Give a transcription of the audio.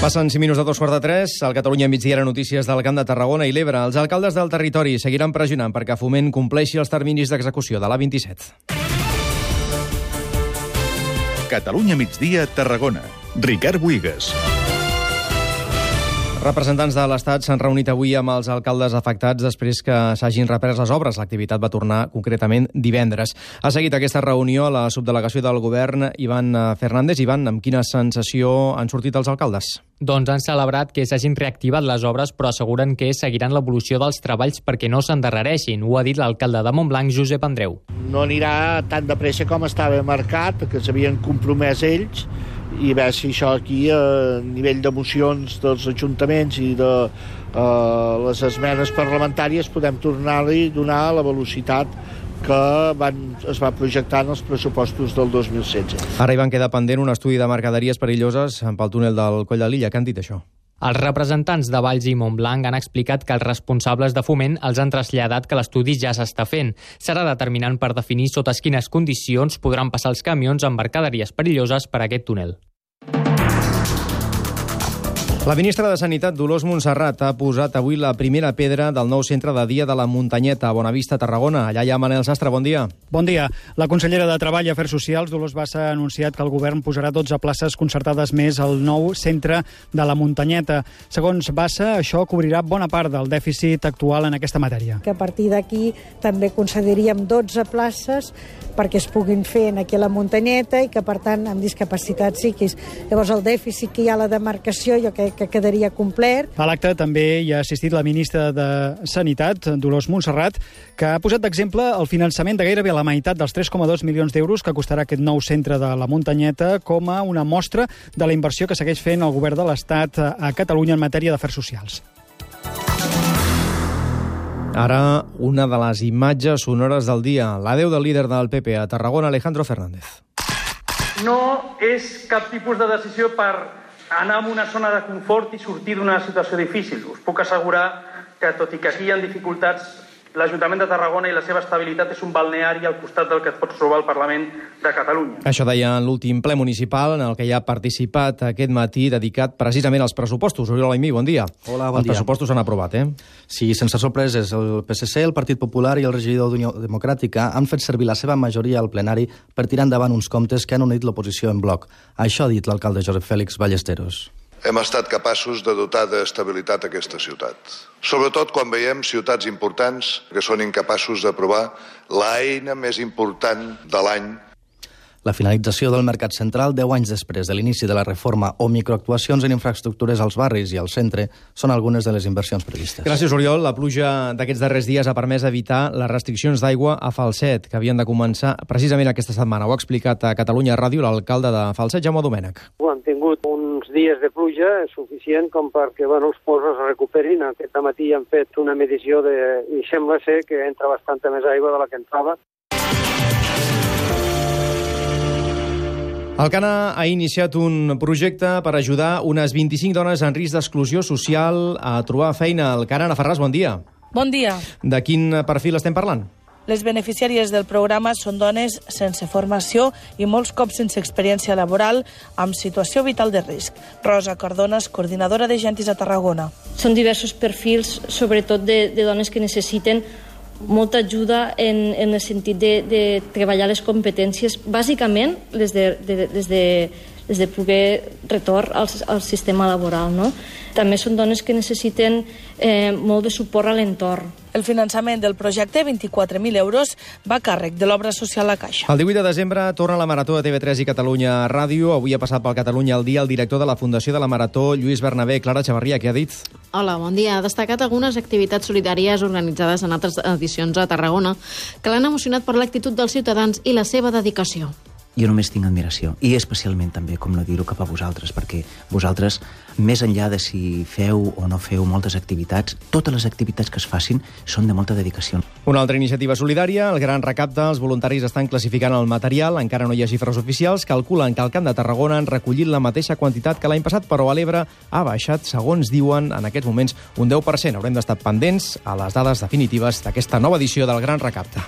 Passen 5 minuts de 2:45. Al Catalunya migdia era notícies del Camp de Tarragona i l'Ebre. Els alcaldes del territori seguiran pressionant perquè Foment compleixi els terminis d'execució de l'A27. Catalunya migdia, Tarragona. Ricard Buigas. Representants de l'Estat s'han reunit avui amb els alcaldes afectats després que s'hagin reprès les obres. L'activitat va tornar concretament divendres. Ha seguit aquesta reunió la subdelegació del govern Ivan Fernández. Ivan, amb quina sensació han sortit els alcaldes? Doncs han celebrat que s'hagin reactivat les obres, però asseguren que seguiran l'evolució dels treballs perquè no s'endarrereixin. Ho ha dit l'alcalde de Montblanc, Josep Andreu. No anirà tan de pressa com estava marcat, que s'havien compromès ells, i veure si això aquí a nivell d'emocions dels ajuntaments i de les esmenes parlamentàries podem tornar-li a donar la velocitat que es va projectar en els pressupostos del 2016. Ara hi van quedar pendent un estudi de mercaderies perilloses pel túnel del Coll de Lilla. Què han dit, això? Els representants de Valls i Montblanc han explicat que els responsables de Foment els han traslladat que l'estudi ja s'està fent. Serà determinant per definir sota quines condicions podran passar els camions amb mercaderies perilloses per aquest túnel. La ministra de Sanitat, Dolors Montserrat, ha posat avui la primera pedra del nou centre de dia de la Muntanyeta, a Bonavista, Tarragona. Allà hi ha Manel Sastre, bon dia. Bon dia. La consellera de Treball i Afers Socials, Dolors Bassa, ha anunciat que el govern posarà 12 places concertades més al nou centre de la Muntanyeta. Segons Bassa, això cobrirà bona part del dèficit actual en aquesta matèria. Que a partir d'aquí també concediríem 12 places perquè es puguin fer aquí a la Muntanyeta i que, per tant, amb discapacitats psíquics. Llavors, el dèficit que hi ha a la demarcació, jo crec que quedaria complet. A l'acte també hi ha assistit la ministra de Sanitat, Dolors Montserrat, que ha posat d'exemple el finançament de gairebé la meitat dels 3,2 milions d'euros que costarà aquest nou centre de la Muntanyeta com a una mostra de la inversió que segueix fent el govern de l'Estat a Catalunya en matèria d'afers socials. Ara, una de les imatges sonores del dia. L'adeu del líder del PP a Tarragona, Alejandro Fernández. No és cap tipus de decisió per anar a una zona de confort i sortir d'una situació difícil. Us puc assegurar que, tot i que aquí hi ha dificultats, l'Ajuntament de Tarragona i la seva estabilitat és un balneari al costat del que et pots trobar al Parlament de Catalunya. Això deia en l'últim ple municipal en el que hi ha participat aquest matí, dedicat precisament als pressupostos. Oriol Aimí, bon dia. Hola, bon dia. Els pressupostos s'han aprovat, Sí, sense sorpreses. El PSC, el Partit Popular i el regidor d'Unió Democràtica han fet servir la seva majoria al plenari per tirar endavant uns comptes que han unit l'oposició en bloc. Això ha dit l'alcalde Josep Fèlix Ballesteros. Hem estat capaços de dotar d'estabilitat aquesta ciutat. Sobretot quan veiem ciutats importants que són incapaços d'aprovar l'eina més important de l'any. La finalització del mercat central 10 anys després de l'inici de la reforma o microactuacions en infraestructures als barris i al centre són algunes de les inversions previstes. Gràcies, Oriol. La pluja d'aquests darrers dies ha permès evitar les restriccions d'aigua a Falset, que havien de començar precisament aquesta setmana. Ho ha explicat a Catalunya Ràdio l'alcalde de Falset, Jaume Domènech. Han tingut uns dies de pluja suficient com perquè els posos es recuperin. Aquest matí han fet una medició i sembla ser que entra bastanta més aigua de la que entrava. El CANA ha iniciat un projecte per ajudar unes 25 dones en risc d'exclusió social a trobar feina. El CANA, Ana Ferràs, bon dia. Bon dia. De quin perfil estem parlant? Les beneficiàries del programa són dones sense formació i molts cops sense experiència laboral amb situació vital de risc. Rosa Cardones, coordinadora de Gentis a Tarragona. Són diversos perfils, sobretot de dones que necessiten molta ajuda en el sentit de treballar les competències, bàsicament les de poder retorn al sistema laboral, no? També són dones que necessiten molt de suport a l'entorn. El finançament del projecte, 24.000 euros, va a càrrec de l'obra social La Caixa. El 18 de desembre torna la Marató de TV3 i Catalunya Ràdio. Avui ha passat pel Catalunya al dia el director de la Fundació de la Marató, Lluís Bernabé. Clara Xavarria, què ha dit? Hola, bon dia. Ha destacat algunes activitats solidàries organitzades en altres edicions a Tarragona que l'han emocionat per l'actitud dels ciutadans i la seva dedicació. Jo només tinc admiració, i especialment també, com no dir-ho, cap a vosaltres, perquè vosaltres, més enllà de si feu o no feu moltes activitats, totes les activitats que es facin són de molta dedicació. Una altra iniciativa solidària, el Gran Recapte. Els voluntaris estan classificant el material, encara no hi ha xifres oficials, calculen que al Camp de Tarragona han recollit la mateixa quantitat que l'any passat, però a l'Ebre ha baixat, segons diuen, en aquests moments, un 10%. Haurem d'estar pendents a les dades definitives d'aquesta nova edició del Gran Recapte.